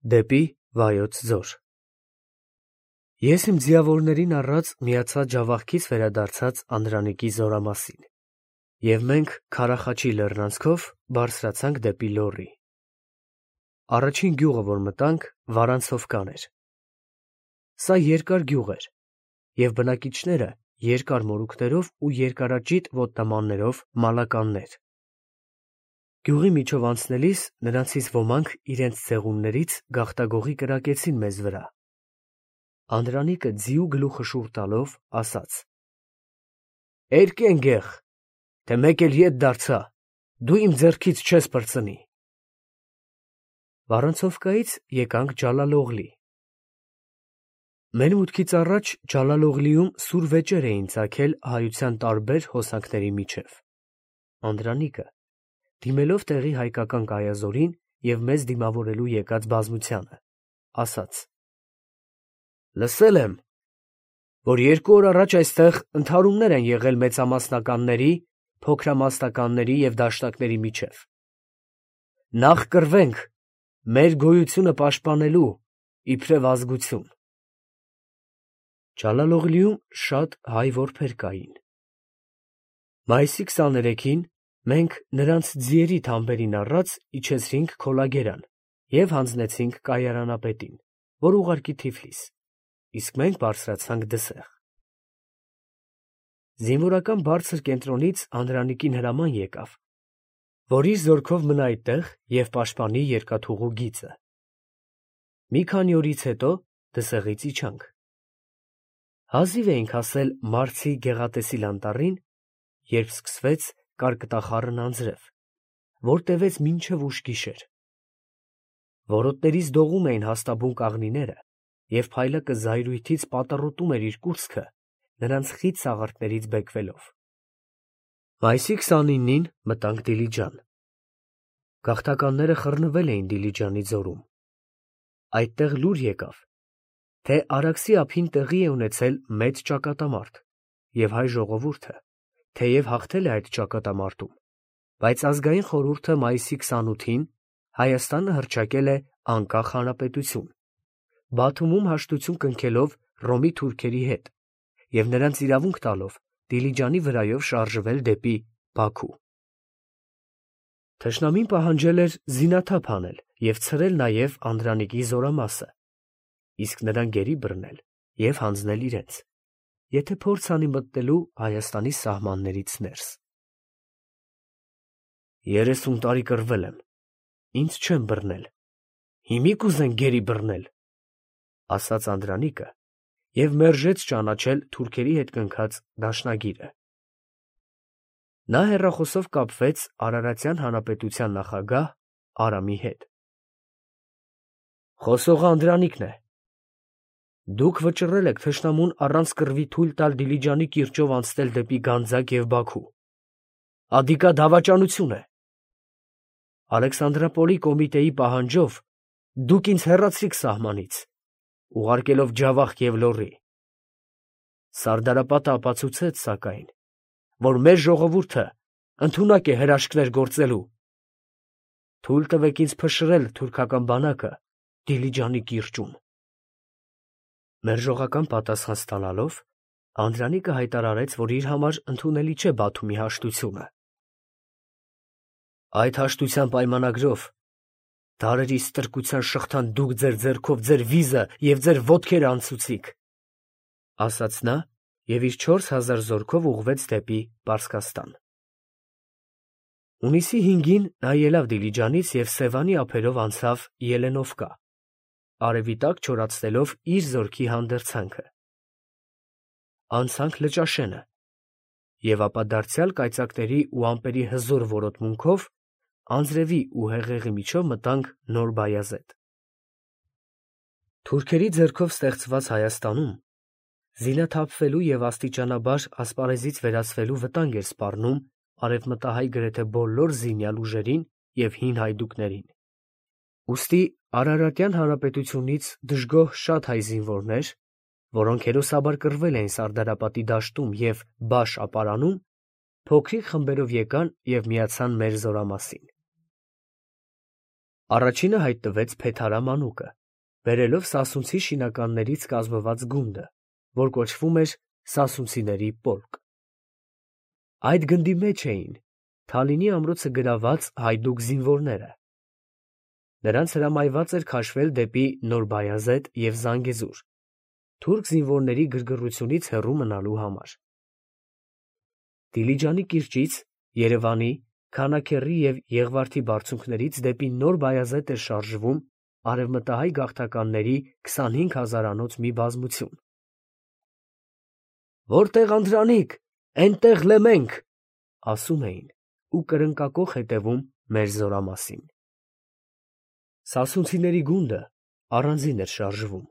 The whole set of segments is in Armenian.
Դեպի Վայոց ձոր։ Ես իմ ձիավորներին առած միացա ջավախքից վերադարձած Անդրանիկի զորամասին, և մենք Քարախաչի լեռնանցքով բարձրացանք դեպի Լոռի։ Առաջին գյուղը, որ մտանք, Վարանցովկան էր։ Սա երկար գյուղ էր, և բնակիչները երկար մորուքներով ու երկարաճիտ ոտնամաններով մալականներ։ Գյուղի միջով անցնելիս նրանցից ոմանք իրենց ձեղումներից գաղտագողի կրակեցին մեզ վրա։ Անդրանիկը ձիու գլուխը շուռ տալով ասաց. «Էրկեն գեղ, թե մեկ էլ ետ դարձա, դու իմ ձեռքից չես պրծնի»։ Վարանցովկայից եկանք Ջալալօղլի։ Մեր մուտքից առաջ Ջալալօղլիում սուր վեճեր էին ծագել հայության տարբեր հոսանքների միջև։ Անդրանիկը, դիմելով տեղի հայկական կայազորին և մեզ դիմավորելու եկած բազմությանը, ասաց. «Լսել եմ, որ 2 օր առաջ այստեղ ընդհարումներ են եղել մեծամասնականների, փոքրամասնականների և դաշնակների միջև։ Նախ կռվենք մեր գոյությունը պաշտպանելու, իբրև ազգություն»։ Ջալալօղլիում շատ հայ որբեր կային։ Մայիսի 23-ին մենք նրանց ձիերի թամբերին առած իջեցրինք Քոլագերան և հանձնեցինք կայարանապետին, որ ուղարկի Թիֆլիս, իսկ մենք բարձրացանք Դսեղ։ Զինվորական բարձր կենտրոնից Անդրանիկին հրաման եկավ, որ իր զորքով մնա այդտեղ և պաշտպանի երկաթուղու գիծը։ Մի քանի օրից հետո Դսեղից իջանք։ Հազիվ էինք հասել Մարցի գեղատեսիլ անտառին, երբ սկսվեց կարկտախառն անձրև, որ տևեց մինչև ուշ գիշեր։ Որոտներից դողում էին հաստաբուն կաղնիները, և փայլակը զայրույթից պատռոտում էր իր կուրծքը, նրանց խիտ սաղարթներից բեկվելով։ Մայիսի 29-ին մտանք Դիլիջան։ Գաղթականները խռնվել էին Դիլիջանի ձորում։ Այդտեղ լուր եկավ, թե Արաքսի ափին տեղի է ունեցել մեծ ճակատամարտ, և հայ ժողովուրդը, թեև հաղթել է այդ ճակատամարտում, բայց ազգային խորհուրդը մայիսի 28-ին Հայաստանը հռչակել է անկախ հանրապետություն, Բաթումում հաշտություն կնքելով Հռոմի թուրքերի հետ և նրանց իրավունք տալով Դիլիջանի վրայով շարժվել դեպի Բաքու։ Թշնամին պահանջել էր զինաթափ անել և ցրել նաև Անդրանիկի զորամասը, իսկ նրան գերի բռնել և հանձնել իրենց, եթե փորձ անի մտնելու Հայաստանի սահմաններից ներս։ 30 տարի կռվել եմ, ինձ չեն բռնել, հիմի կուզեն գերի բռնել, ասաց Անդրանիկը և մերժեց ճանաչել թուրքերի հետ կնքած դաշնագիրը։ Նա հեռախոսով կապվեց Արարատյան հանրապետության նախագահ Արամի հետ։ «Խոսողը Անդրանիկն է։ Դուք վճռել եք թշնամուն առանց կռվի թույլ տալ Դիլիջանի կիրճով անցնել դեպի Գանձակ և Բաքու։ Ադիկա դավաճանություն է։ Ալեքսանդրապոլի կոմիտեի պահանջով դուք ինձ հեռացրիք սահմանից, ուղարկելով Ջավախք և Լոռի։ Սարդարապետը ապացուցեց, սակայն, որ մեր ժողովուրդը ընդունակ է հրաշքներ գործելու։ Թույլ տվեք ինձ փշրել թուրքական բանակը Դիլիջանի կիրճում»։ Մերժողական պատասխան ստանալով, Անդրանիկը հայտարարեց, որ իր համար ընդունելի չէ Բաթումի հաշտությունը։ «Այդ հաշտության պայմանագրով դարերի ստրկության շղթան դուք ձեր ձեռքով ձեր վիզը և ձեր ոտքերը անցուցիք», ասաց նա և իր 4000 զորքով ուղղվեց դեպի Պարսկաստան։ Հունիսի 5-ին նա ելավ Դիլիջանից և Սևանի ափերով անցավ Ելենովկա, արևի տակ չորացնելով իր զորքի հանդերձանքը։ Անցանք Լճաշենը և ապա դարձյալ կայծակների ու ամպերի հզոր որոտմունքով անձրևի ու հեղեղի միջով մտանք Նոր Բայազեդ։ Թուրքերի ձեռքով ստեղծված Հայաստանում զինաթափվելու և աստիճանաբար ասպարեզից վերացվելու վտանգ էր սպառնում արևմտահայ գրեթե բոլոր զինյալ ուժերին և հին հայդուկներին։ Ուստի Արարատյան հանրապետությունից դժգոհ շատ հայ զինվորներ, որոնք հերոսաբար կռվել էին Սարդարապատի դաշտում և Բաշ ապարանում, փոքրիկ խմբերով եկան և միացան մեր զորամասին։ Առաջինը հայտնվեց Փեթարա մանուկը, բերելով սասունցի շինականներից կազմված գունդը, որ կոչվում էր սասունցիների պոլկ։ Այդ գնդի մեջ էին Թալինի ամրոցը գրաված հայդուկ զինվորները։ Նրանց հրամայված էր քաշվել դեպի Նոր Բայազեդ և Զանգեզուր, թուրք զինվորների գրգռությունից հեռու մնալու համար։ Դիլիջանի կիրճից, Երևանի, Քանաքեռի և Եղվարդի բարձունքներից դեպի Նոր Բայազեդ էր շարժվում արևմտահայ գաղթականների 25,000-անոց մի բազմություն։ «Որտեղ Անդրանիկ, էնտեղ լեմենք», ասում էին ու կրնկակոխ հետևում մեր զորամասին։ Սասունցիների գունդը առանձին էր շարժվում։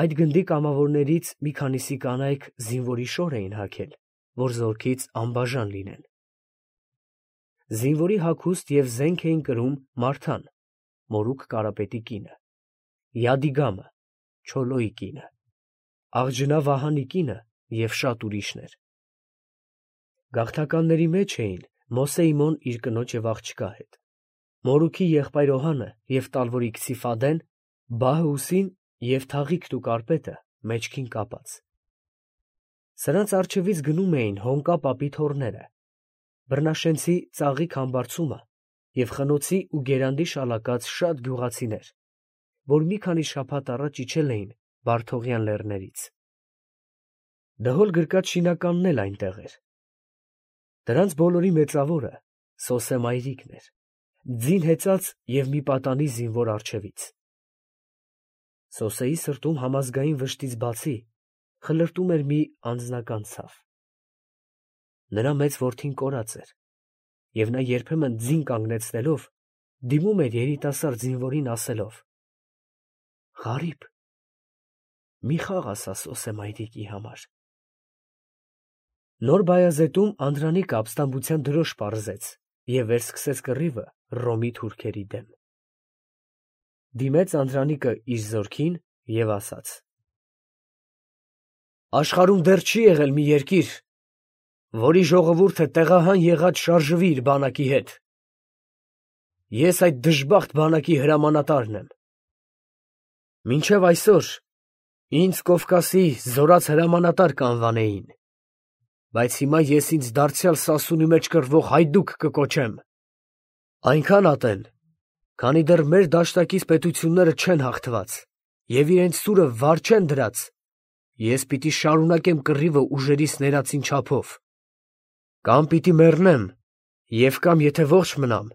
Այդ գնդի կամավորներից մի քանիսի կանայք զինվորի շոր էին հագել, որ զորքից անբաժան լինեն։ Զինվորի հագուստ և զենք էին կրում Մարթան, Մորուք Կարապետի կինը, Յադիգամը, Չոլոյի կինը, Աղջնա Վահանի կինը և շատ ուրիշներ։ Գաղթականների մեջ էին Մոսեիմոն իր կնոջ և աղջկա հետ, Մորուքի եղբայր Օհանը և Տալվորիկցի Ֆադեն, Բահ֊Հուսին և Թաղիքն ու Կարպետը մեջքին կապած։ Սրանց առջևից գնում էին Հոնկա պապի թոռները, Բռնաշենցի Ծաղիկ Համբարձումը և Խնոցի ու Գերանդի շալակած շատ գյուղացիներ, որ մի քանի շաբաթ առաջ իջել էին Վարդողյան լեռներից։ Դհոլ գրկած շինականն էլ այնտեղ էր։ Դրանց բոլորի մեծավորը Սոսե մայրիկն էր, ձին հեծած և մի պատանի զինվոր առջևից։ Սոսեի սրտում համազգային վշտից բացի խլրտում էր մի անձնական ցավ։ Նրա մեծ որդին կորած էր, և նա երբեմն ձին կանգնեցնելով դիմում էր երիտասարդ զինվորին ասելով. «Ղարիբ, մի խաղ ասա Սոսե մայրիկի համար»։ Նոր Բայազետում Անդրանիկը ապստամբության դրոշ պարզեց և վերսկսեց կռիվը Հռոմի թուրքերի դեմ։ Դիմեց Անդրանիկը իր զորքին և ասաց. «Աշխարհում դեռ չի եղել մի երկիր, որի ժողովուրդը տեղահան եղած շարժվի իր բանակի հետ։ Ես այդ դժբախտ բանակի հրամանատարն եմ։ Մինչև այսօր ինձ Կովկասի զորաց հրամանատար կանվանեին, բայց հիմա ես ինձ դարձյալ սասունի մեջ կռվող հայդուկ կկոչեմ։ Այնքան ատեն, քանի դեռ մեր դաշտակից պետությունները չեն հաղթված և իրենց սուրը վար չեն դրած, ես պիտի շարունակեմ կռիվը ուժերիս ներածին չափով։ Կամ պիտի մեռնեմ և կամ, եթե ողջ մնամ,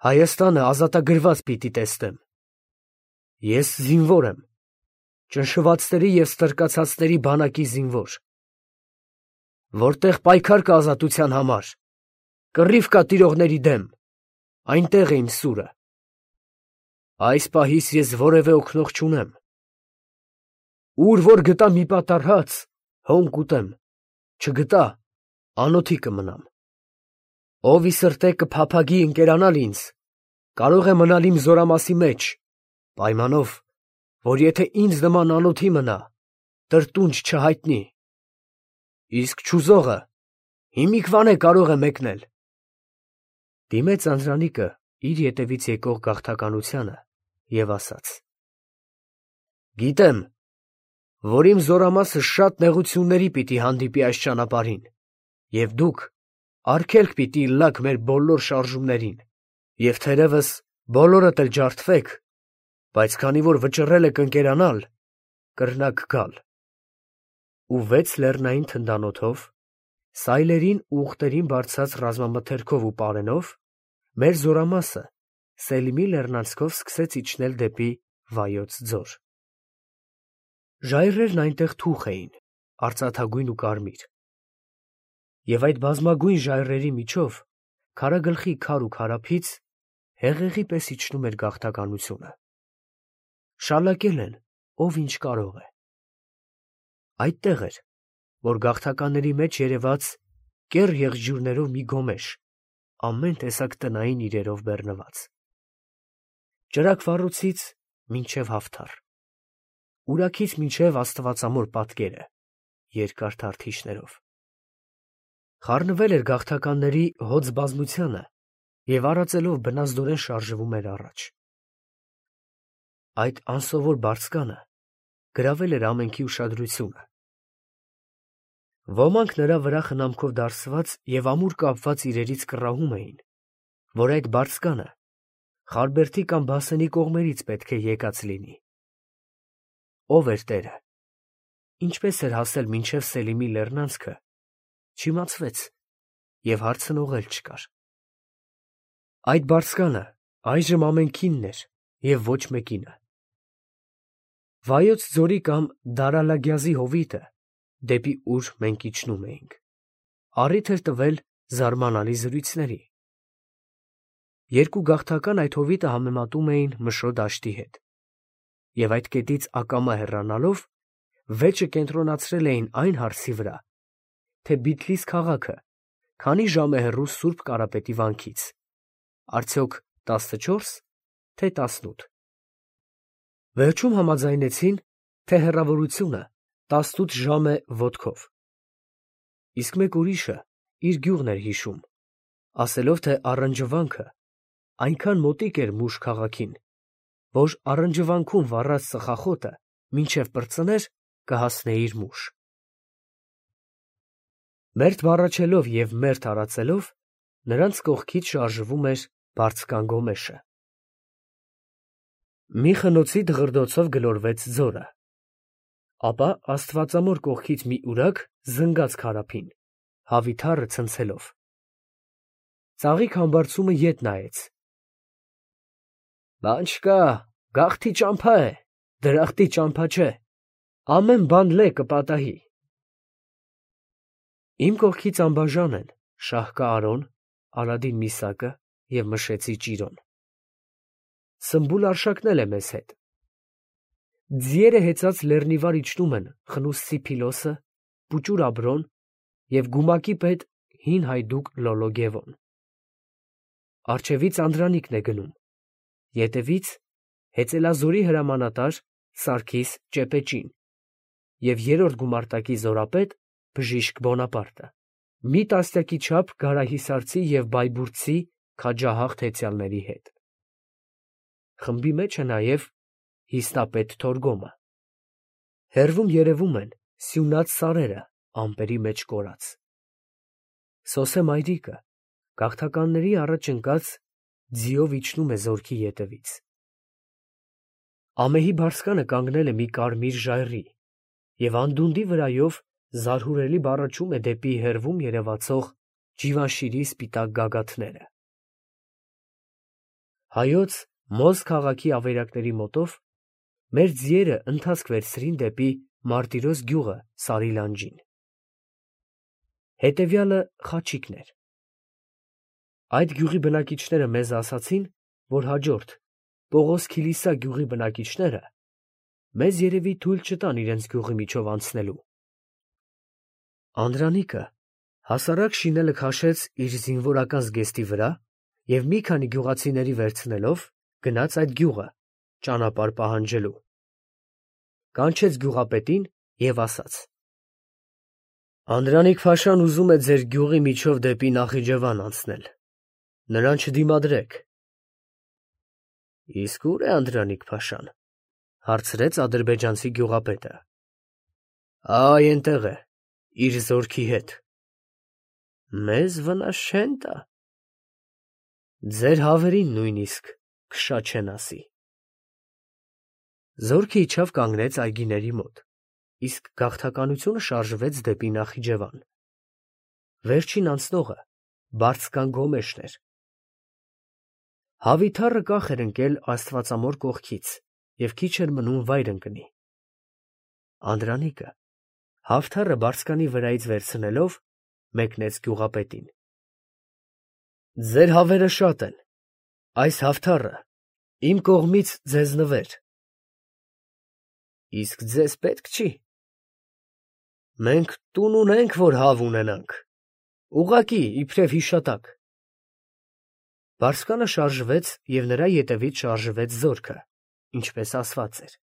Հայաստանը ազատագրված պիտի տեսնեմ։ Ես զինվոր եմ, ճնշվածների և ստրկացածների բանակի զինվոր։ Որտեղ պայքար կա ազատության համար, կռիվ կա տիրողների դեմ, այնտեղ է իմ սուրը։ Այս պահից ես որևէ օգնող չունեմ։ Ուր որ գտա մի պատառ հաց, հոն կուտեմ, չգտա, անոթի կմնամ։ Ով ի սրտե կփափագի ընկերանալ ինձ, կարող է մնալ իմ զորամասի մեջ, պայմանով, որ եթե ինձ նման անոթի մնա, տրտունջ չհայտնի։ Իսկ չուզողը հիմիկվան է կարող է մեկնել։ Դիմեց Անդրանիկը իր ետևից եկող գաղթականությանը և ասաց. «Գիտեմ, որ իմ զորամասը շատ նեղությունների պիտի հանդիպի այս ճանապարհին, և դուք արգելք պիտի ըլլաք մեր բոլոր շարժումներին, և թերևս բոլորդ էլ ջարդվեք, բայց քանի որ վճռել եք ընկերանալ, կրնաք գալ»։ Ու 6 լեռնային թնդանոթով, սայլերին ու ուղտերին բարձած ռազմամթերքով ու պարենով մեր զորամասը Սելիմի լեռնանցքով սկսեց իջնել դեպի Վայոց ձոր։ Ժայռերն այնտեղ թուխ էին, արծաթագույն ու կարմիր, և այդ բազմագույն ժայռերի միջով քարագլխի քար ու քարափից հեղեղի պես իջնում էր գաղթականությունը։ Շալակել են, ով ինչ կարող է։ Այդտեղ էր, որ գաղթականների մեջ երևաց կեռ եղջյուրներով մի գոմեշ, ամեն տեսակ տնային իրերով բեռնված։ Ճրագ֊վառոցից մինչև Հավթար, ուրաքից մինչև Աստվածամոր պատկերը երկար թարթիշներով։ Խառնվել էր գաղթականների հոծ բազմությանը և արածելով բնազդորեն շարժվում էր առաջ։ Այդ անսովոր բարձկանը գրավել էր ամենքի ուշադրությունը։ Ոմանք նրա վրա խնամքով դարսված և ամուր կապված իրերից կռահում էին, որ այդ բարձկանը Խարբերդի կամ Բասենի կողմերից պետք է եկած լինի։ Ով էր տերը, ինչպես էր հասել մինչև Սելիմի լեռնանցքը, չիմացվեց և հարցնողել չկար։ Այդ բարձկանը այժմ ամենքինն էր և ոչ մեկինը։ Վայոց ձորի կամ Դարալագյազի հովիտը, դեպի ուր մենք իջնում էինք, առիթ էր տվել զարմանալի զրույցների։ Երկու գաղթական այդ հովիտը համեմատում էին Մշո դաշտի հետ, և այդ կետից ակամա հեռանալով վեճը կենտրոնացրել էին այն հարցի վրա, թե Բիթլիս քաղաքը քանի ժամ է հեռու Սուրբ Կարապետի վանքից, արդյոք 14, թե 18։ Վերջում համաձայնեցին, թե հեռավորությունը 18 ժամ է ոտքով։ Իսկ մեկ ուրիշը իր գյուղն էր հիշում, ասելով, թե առնջվանքը այնքան մոտիկ էր Մուշ քաղաքին, որ առնջվանքում վառած ծխախոտը մինչև պրծներ կհասնեիր Մուշ։ Մերթ բառաչելով և մերթ արածելով, նրանց կողքից շարժվում էր բարձկան գոմեշը։ Մի խնոցի դղրդոցով գլորվեց ձորը, ապա աստվածամոր կողքից մի ուրակ զնգաց Քարափին, հավիթառը ցնցելով։ Ծաղիկ համբարձումը ետ նայեց։ Բան չկա, գաղթի ճամփա է, դրախտի ճամփա չէ, ամեն բան լե կպատահի։ Իմ կողքից անբաժան են Շահկա Արոն, Ալադին Միսակը և Մշեցի Ճիրոն։ Սմբուլ Արշակն էլ է մեզ հետ։ Ձիերը հեծած լեռնիվար իջնում են Խնուսցի Փիլոսը, Պուճուր Աբրոն և գումակի պետ հին հայդուկ Լոլո Գևոն։ Առջևից Անդրանիկն է գնում, ետևից Հեծելազորի հրամանատար Սարգիս Ճեպեճին և երրորդ գումարտակի զորապետ Բժիշկ Բոնապարտը, մի տասնյակի չափ գարահիսարցի և բայբուրդցի քաջահաղ հեծյալների հետ։ Խմբի մեջ է նաև հիստապետ Թորգոմը։ Հեռվում երևում են սյունած սարերը ամպերի մեջ կորած։ Սոսե մայրիկը գաղթականների առաջ ընկած ձիով իջնում է զորքի ետևից։ Ամեհի բարձկանը կանգնել է մի կարմիր ժայռի և անդունդի վրայով զարհուրելի բառաչում է դեպի հեռվում երևացող Ջիվանշիրի սպիտակ գագաթները։ Հայոց Մոզ քաղաքի ավերակների մոտով մեր ձիերը ընթացք վերցրին դեպի Մարտիրոս գյուղը Սարի լանջին։ Հետևյալը Խաչիկն էր։ Այդ գյուղի բնակիչները մեզ ասացին, որ հաջորդ Պողոս Քիլիսա գյուղի բնակիչները մեզ երևի թույլ չտան իրենց գյուղի միջով անցնելու։ Անդրանիկը հասարակ շինելը քաշեց իր զինվորական զգեստի վրա և մի քանի գյուղացիների վերցնելով գնաց այդ գյուղը ճանապարհ պահանջելու։ Կանչեց գյուղապետին և ասաց. Անդրանիկ֊փաշան ուզում է ձեր գյուղի միջով դեպի Նախիջևան անցնել, նրան չդիմադրեք։ Իսկ ո՞ւր է Անդրանիկ֊փաշան, հարցրեց ադրբեջանցի գյուղապետը։ Այ այնտեղ է, իր զորքի հետ։ Մեզ վնաս չեն տա։ Ձեր հավերին նույնիսկ քշա չեն ասի։ Զորքը իջավ կանգնեց այգիների մոտ, իսկ գաղթականությունը շարժվեց դեպի Նախիջևան։ Վերջին անցնողը բարձկան Գոմեշն էր։ Հավիթառը կախ էր ընկել աստվածամոր կողքից և քիչ էր մնում վայր ընկնի։ Անդրանիկը հավթառը բարձկանի վրայից վերցնելով մեկնեց գյուղապետին։ Ձեր հավերը շատ են, այս հավթառը իմ կողմից ձեզ նվեր։ Իսկ ձեզ պետք չի։ Մենք տուն ունենք, որ հավ ունենանք, ուղղակի իբրև հիշատակ։ Բարձկանը շարժվեց և նրա ետևից շարժվեց զորքը, ինչպես ասված էր։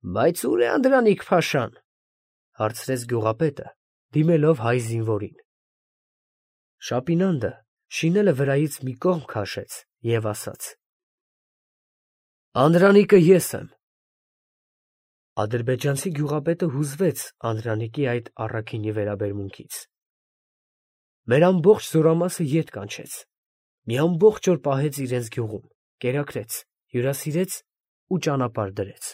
Բայց ո՞ւր է Անդրանիկ֊փաշան, հարցրեց գյուղապետը, դիմելով հայ զինվորին։ Շապինանդը շինելը վրայից մի կողմ քաշեց և ասաց. «Անդրանիկը ես եմ»։ Ադրբեջանցի գյուղապետը հուզվեց Անդրանիկի այդ առաքինի վերաբերմունքից։ Մեր ամբողջ զորամասը ետ կանչեց, մի ամբողջ օր պահեց իրենց գյուղում, կերակրեց, հյուրասիրեց ու ճանապարհ դրեց։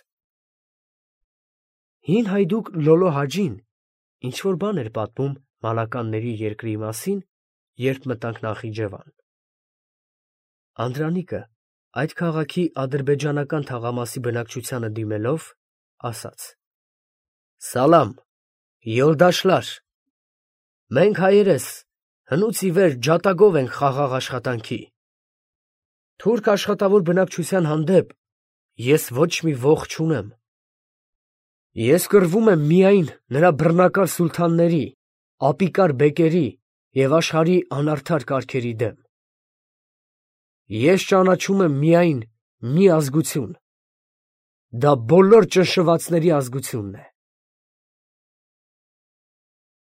Հին հայդուկ Լոլո Հաջին ինչ-որ բան էր պատմում մալականների երկրի մասին, երբ մտանք Նախիջևան։ Անդրանիկը այդ քաղաքի ադրբեջանական թաղամասի բնակչությանը դիմելով, ասաց. «Սալամ, Յոլդաշլար, մենք հայերս հնուց ի վեր ջատագով ենք խաղաղ աշխատանքի։ Թուրք աշխատավոր բնակչության հանդեպ ես ոչ մի ոխ չունեմ։ Ես կռվում եմ միայն նրա բռնակալ սուլթանների, ապիկար բեկերի և աշխարհի անարդար կարգերի դեմ։ Ես ճանաչում եմ միայն մի ազգություն. դա բոլոր ճնշվածների ազգությունն է։